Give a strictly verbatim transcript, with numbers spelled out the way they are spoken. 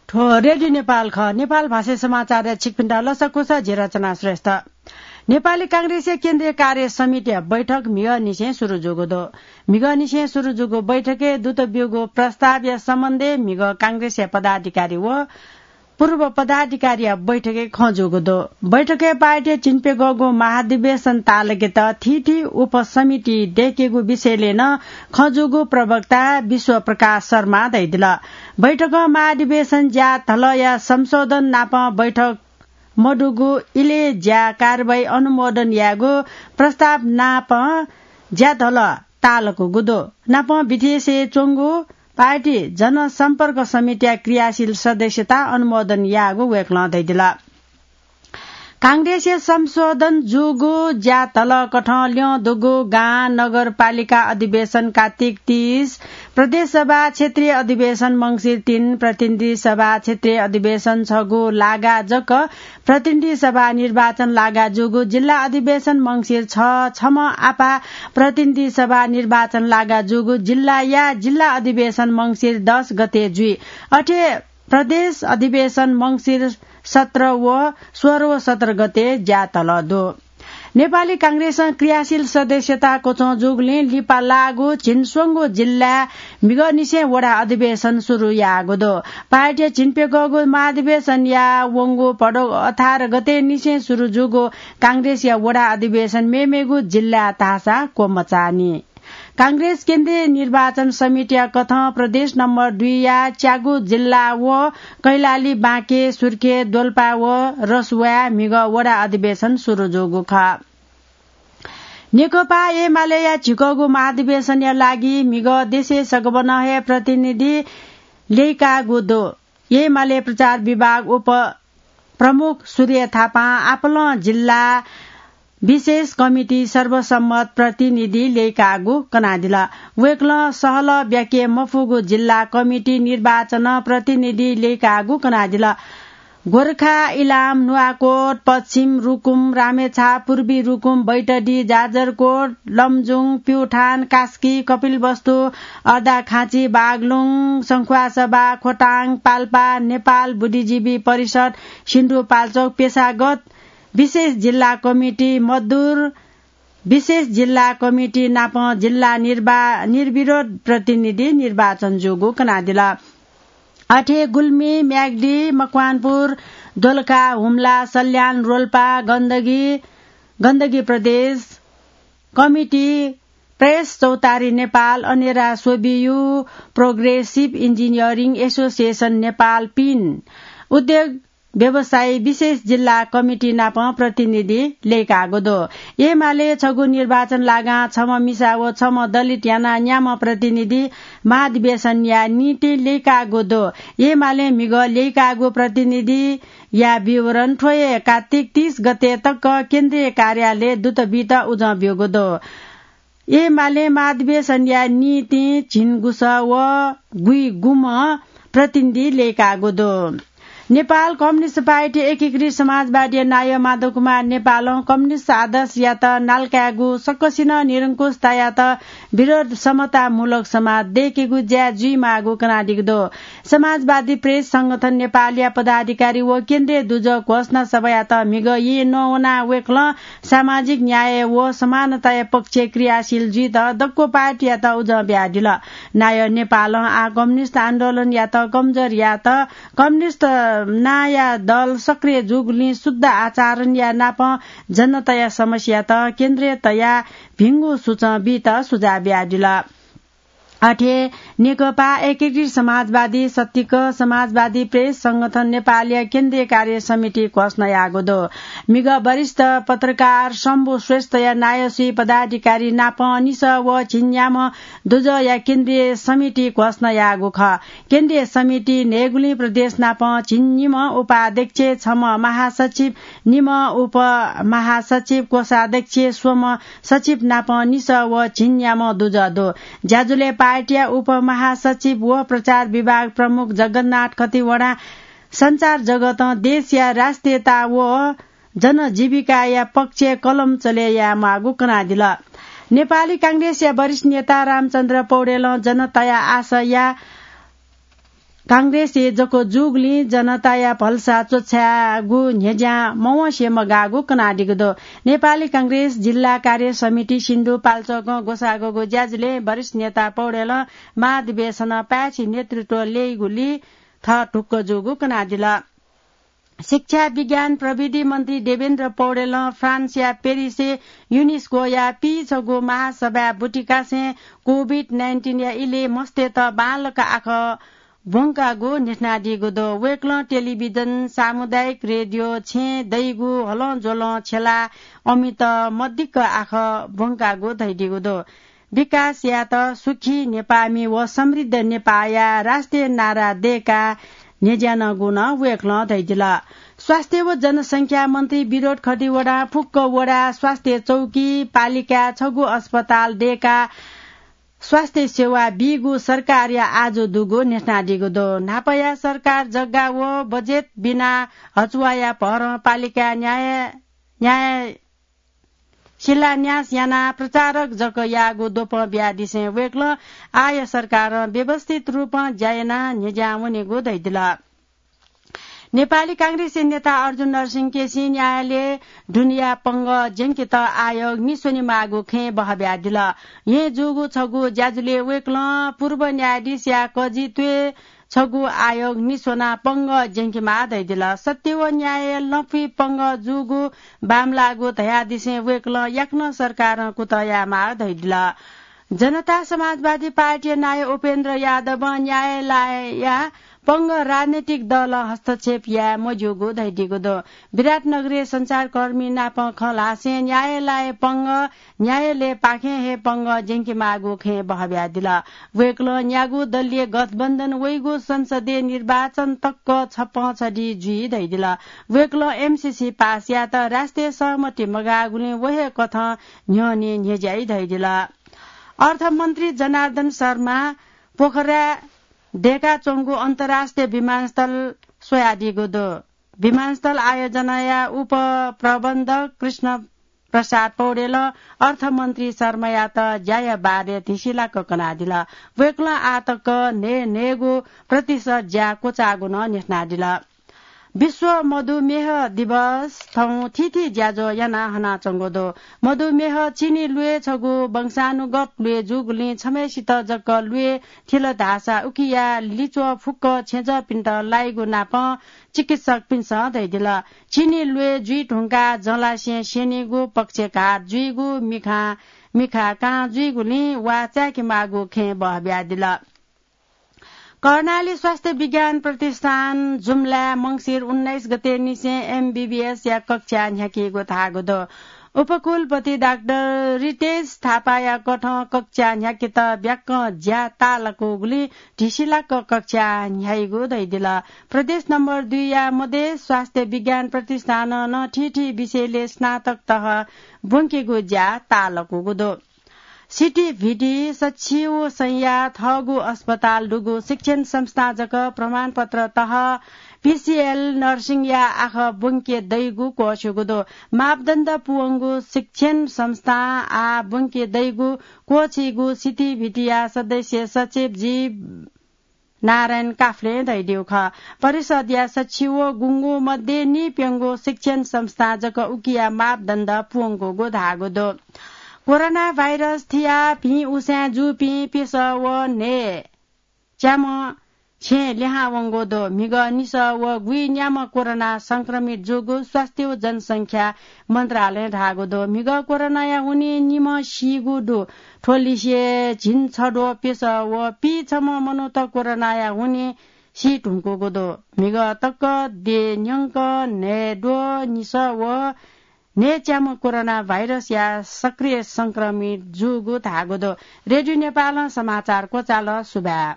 थ्व रेडियो नेपाल खः। नेपाल भाषाय् समाचारय् छिकपिन्त लसकुस, जि रचना श्रेष्ठ। नेपाली कांग्रेसया केन्द्रीय कार्य समितिया बैठक म्हिगःनिसें सुरु जूगु दु। म्हिगःनिसें सुरु जूगु बैठकय् दुत ब्यूगु प्रस्तावया सम्बन्धय् म्हिगः कांग्रेसया पदाधिकारी व पूर्व पदाधिकारीया बैठकय् खँ जूगु दु। बैठकय् पार्टीया झिंप्यघौगु महाधिवेशन तालकेत थीथी उपसमिति दय्केगु विषयलय् नं खँ जूगु प्रवक्ता विश्व प्रकाश शर्मां धयादिल। बैठकं महाधिवेशन ज्याधलया संशोधन नाप बैठक मदुगु इलय् ज्या कारवाही अनुमोदन यायेगु प्रस्ताव नाप ज्याधल तालकूगु दु। नाप विदेशय् च्वंगु पार्टी जनसम्पर्क समितिया क्रियाशील सदस्यता अनुमोदन याःगु वय्कलं धयादिल। कांग्रेसया संशोधन जूगु ज्याधलकथं ल्यं दुगु गां नगरपालिका अधिवेशन कात्तिक तीस, प्रदेश सभा क्षेत्रीय अधिवेशन मंसिर तीन, प्रतिनिधि सभा क्षेत्रीय अधिवेशन छगू लागा जक, प्रतिनिधि सभा निर्वाचन लागा जूगु जिल्ला अधिवेशन मंसिर छ, छम्ह आपाः प्रतिनिधि सभा निर्वाचन लागा जूगु जिल्लाया जिल्ला अधिवेशन मंसिर दस गते जुइ। अथे प्रदेश अधिवेशन मंसिर सत्र व सोह्र व सत्र गते ज्याधल दु। नेपाली कांग्रेसं क्रियाशील सदस्यता क्वचं जूगुलिं लिपा लाःगु झिंस्वंगू जिल्लाय् म्हिगःनिसें वडा अधिवेशन सुरु याःगु दु। पार्टीया झिंप्यघौगु महाधिवेशनया वंगु भदौ अठार गते निसें सुरु जूगु कांग्रेसया वडा अधिवेशन मेमेगु जिल्लाय् धाःसा क्वमचाःनि। कांग्रेस केन्द्रीय निर्वाचन समितिया कथं प्रदेश नम्बर दुईया च्यागू जिल्ला व कैलाली, बाँके, सुर्खे, दोलपा व रसुवाय् म्हिगः वडा अधिवेशन सुरु जूगु खः। नेकपा एमालेया झिकःगु महाधिवेशनया लागि म्हिगः देशय् सगबनं हे प्रतिनिधि ल्यय्काःगु दु। एमाले प्रचार विभाग उप प्रमुख सूर्य थापां आपालं जिल्ला विशेष कमिटी सर्वसम्मत प्रतिनिधि ल्यय्काःगु कनादिल। वय्कलं सहलह ब्याके मफुगु जिल्ला कमिटी निर्वाचनं प्रतिनिधि ल्यय्काःगु कनादिल। गोरखा, इलाम, नुवाकोट, पश्चिम रुकुम, रामेछाप, पूर्वी रुकुम, बैतडी, जाजरकोट, लमजुङ, प्युठान, कास्की, कपिलवस्तु, अर्दाखाँची, बागलुङ, संख्वासभा, खोटाङ, पाल्पा, नेपाल बुद्धिजीवी परिषद, सिन्धुपाल्चोक, पेशागत विशेष जिल्ला कमिटी, मदुर विशेष जिल्ला कमिटी नाप जिल्ला निर्वा-, निर्विरोध प्रतिनिधि निर्वाचन जूगु कनादिल। अथे गुल्मी, म्याग्दी, मकवानपुर, दोलखा, हुम्ला, सल्यान, रोल्पा, गण्डकी, गण्डकी प्रदेश कमिटी, प्रेस चौतारी नेपाल, अनेरा स्वबियु, प्रोग्रेसिभ इन्जिनियरिङ एसोसिएसन नेपाल, पिन, उद्योग व्यवसायी विशेष जिल्ला कमिटी नाप प्रतिनिधि ल्यय्काःगु दु। एमाले छगू निर्वाचन लागां छम्ह मिसा व छम्ह दलित यानाः न्याम्ह प्रतिनिधि महाधिवेशनया निंतिं ल्यय्काःगु दु। एमाले म्हिगः ल्यय्काःगु प्रतिनिधिया विवरण थ्व हे कात्तिक तीस गते तक केन्द्रीय कार्यालय दुत बीत उजं ब्यूगु दु। एमाले महाधिवेशनया निंतिं झिंगुसः व गुइगुम्ह प्रतिनिधि ल्यय्काःगु दु। नेपाल कम्युनिस्ट पार्टी एकीकृत समाजवादीया नायः माधव कुमार नेपालं कम्युनिस्ट आदर्शयात नालकायेगु, सकसिनं निरंकुशतायात विरोध समतामूलक समाज दय्केगु ज्या जुइमाःगु कनादीगु दु। समाजवादी प्रेस संगठन नेपालया पदाधिकारी व केन्द्रीय दुजः घोषणा सभायात म्हिगः येँ नवानाः वय्कलं सामाजिक न्याय व समानताया पक्षय् क्रियाशील जुइत दक्व पार्टीयात उजं बियादिल। नायः नेपालं आः कम्युनिस्ट आन्दोलनयात कमजोर यायेत कम्युनिस्ट नांया दल सक्रिय जूगुलिं शुद्ध आचरणया नाप जनताया समस्यात केन्द्रय् तयाः भिंगु सुचं बीत सुझाव बियादिल। अथे नेकपा एकीकृत समाजवादी सत्तिक समाजवादी प्रेस संगठन नेपालया केन्द्रीय कार्य समिति घोषणा याःगु दु। म्हिगः वरिष्ठ पत्रकार शम्भु श्रेष्ठया नायःसुइ पदाधिकारी नाप निसः व झिंन्याम्ह दुजःया केन्द्रीय समिति घोषणा याःगु खः। केन्द्रीय समिति न्हय्गुलिं प्रदेश नाप झिंनिम्ह उपाध्यक्ष, छम्ह महासचिव, निम्ह उपमहासचिव, कोषाध्यक्ष, स्वम्ह सचिव नाप निसः व झिंन्याम्ह दुजः दु। ज्याझ्वलय् पार्टीया उपमहासचिव व प्रचार विभाग प्रमुख जगन्नाथ खतिवडां सञ्चार जगतं देशया राष्ट्रियता व जनजीविकाया पक्षय् कलम चले यायेमाःगु कनादिल। नेपाली कांग्रेसया वरिष्ठ नेता रामचन्द्र पौडेलं जनताया आशा या कांग्रेसय् जक जूगुलिं जनताया भलसा च्वछायेगु न्ह्यज्यां मवंसे मगाःगु कनादीगु दु। नेपाली कांग्रेस जिल्ला कार्य समिति सिन्धुपाल्चोकं ग्वसाःगु ज्याझ्वलय् वरिष्ठ नेता पौडेलं महाधिवेशनं पाय्छि नेतृत्व ल्यइगुलिं थः ढुक्क जूगु कनादिल। शिक्षा, विज्ञान, प्रविधि मन्त्री देवेन्द्र पौडेलं फ्रान्सया पेरिसय् युनेस्कोया पीछगू महासभाय् बुतिकासें कोभिड नाइन्टिनया इलय् मस्तय्त बांलाक आखः ब्वंकागु न्ह्यथनादीगु दु। वय्कलं टेलिभिजन, सामुदायिक रेडियो, छेँय् दइगु हलंज्वलं छ्यलाः अमित मदिक्क आखः ब्वंकागु धयादीगु दु। विकास यायेत सुखी नेपाःमि व समृद्ध नेपाःया राष्ट्रिय नारा दय्काः न्ह्यज्यानागु नं वय्कलं धयादिल। स्वास्थ्य व जनसंख्या मन्त्री विनोद खतिवडां फुक्क वडा स्वास्थ्य चौकी, पालिकाय् छगू अस्पताल दय्काः स्वास्थ्य सेवा बीगु सरकारया आजु दुगु न्ह्यथनादीगु दु। न्हापाया सरकार जग्गा व बजेट बिना हचुवाया भरं पालिकाय् न्याय, न्याय शिलान्यास यानाः प्रचारक जक याःगु द्वपं बियादिसें वय्कलं आःया सरकारं व्यवस्थित रूपं ज्या यानाः न्ह्यज्यां वनेगु धयादिल। नेपाली कांग्रेसया नेता अर्जुन नरसिंह केसीं न्यायालयय् दुनेया पंगः ज्यंकेत आयोग निस्वनेमाःगु खँय् बहःब्यादिल। येँ जूगु छगू ज्याझ्वलय् वय्कलं पूर्व न्यायाधीशया कजि त्वय् छगू आयोग निस्वनाः पंगः ज्यंकेमाः धयादिल। सत्य व न्यायय् लँपुइ पंगः जूगु बांमलाःगु धयादिसें वय्कलं याकनं सरकारं कुतः यायेमाः धयादिल। जनता समाजवादी पार्टीया नायः उपेन्द्र यादवं न्यायालयया पंगः राजनैतिक दलं हस्तक्षेप याये मज्यूगु धयादीगु दु। विराटनगरय् सञ्चारकर्मी नाप खँ ल्हासें न्यायालय पंगः न्यायालयपाखें हे पंगः ज्यंकेमाःगु खँय् बहःब्यादिल। वय्कलं न्यागू दलीय गठबन्धन वइगु संसदीय निर्वाचन तक छपँ छधि जुइ धयादिल। वय्कलं एमसीसी पास यायेत राष्ट्रिय सहमति मगाःगुलिं व हे कथं न्ह्यःने न्ह्यज्याइ धयादिल। अर्थमन्त्री जनार्दन शर्मां पोखराय् दय्काच्वंगु अन्तर्राष्ट्रिय विमानस्थल स्वयादीगु दु। विमानस्थल आयोजनाया उपप्रबन्धक कृष्ण प्रसाद पौडेलं अर्थमन्त्री शर्मायात ज्याया बारे धिसिलाक कनादिल। वय्कलं आःतक न्हय् न्हय्गू प्रतिशत ज्या क्वचाःगु नं न्ह्यथनादिल। विश्व मधुमेह दिवस थौं थीथी ज्याझ्वः याना हनाच्वंगु दु। मधुमेह चिनी ल्वय् छगू वंशानुगत ल्वय् जूगुलिं छम्हय्सित जक ल्वय् थिल धाःसा उकिया लिच्वः फुक्क छेँजःपिन्त लाइगु नापं चिकित्सकपिन्सं धयादिल। चिनी ल्वय् जुइ धुंकाः जंलासें स्यनीगु, पक्षघात जुइगु, मिखां, मिखा कां जुइगुलिं वा चाय्केमाःगु खँय् बहःब्यादिल। कर्णाली स्वास्थ्य विज्ञान प्रतिष्ठान जुम्लाय् मंसिर उन्नाइस गते निसें एमबीबीएसया कक्षा न्ह्याकीगु धाःगु दु। उपकुलपति डाक्टर रितेश थापाया कथं कक्षा न्ह्याकेत ब्याक्क ज्या ताःलाकूगुलिं धिसिलाक कक्षा न्ह्याइगु धयादिल। प्रदेश नम्बर दुईया मधेस स्वास्थ्य विज्ञान प्रतिष्ठानं नं थीथी विषयलय् स्नातक तह ब्वंकेगु ज्या ताःलाकूगु दु। सिटी भिटी सछि व संया थःगु अस्पताल दुगु शिक्षण संस्थां जक प्रमाणपत्र तह पीसीएल नर्सिङया आखः ब्वंके दइगु क्वःछ्यूगु दु। मापदण्ड पूवंगु शिक्षण संस्थां आः ब्वंके दइगु क्वःछीगु सिटी भिटीया सदस्य सचिव जी नारायण काफ्लें धयादीगु खः। परिषदया सछि व गुंगू मध्ये नीप्यंगू शिक्षण संस्थां जक उकिया मापदण्ड पूवंकूगु धाःगु दु। कोरोना भाइरस थियाः भिं उसाँय् जूपिं प्यसः व न्हय् च्याम्ह छेँय् लिहां वंगु दु। म्हिगः निसः व गुइन्याम्ह कोरोना संक्रमित जूगु स्वास्थ्य व जनसंख्या मन्त्रालयं धाःगु दु। म्हिगः कोरोनाया हुनिं निम्ह सीगु दु। थ्व लिसे झिंछद्वः प्यसः व पीछम्ह मनूत कोरोनाया हुनिं सी धुंकूगु दु। म्हिगः तक देय् न्यंक न्हय्द्वः निसः व न्हय्च्याम्ह कोरोना भाइरसया सक्रिय संक्रमित जूगु धाःगु दु। रेडियो नेपालं समाचार क्वचाल। सुभाय्।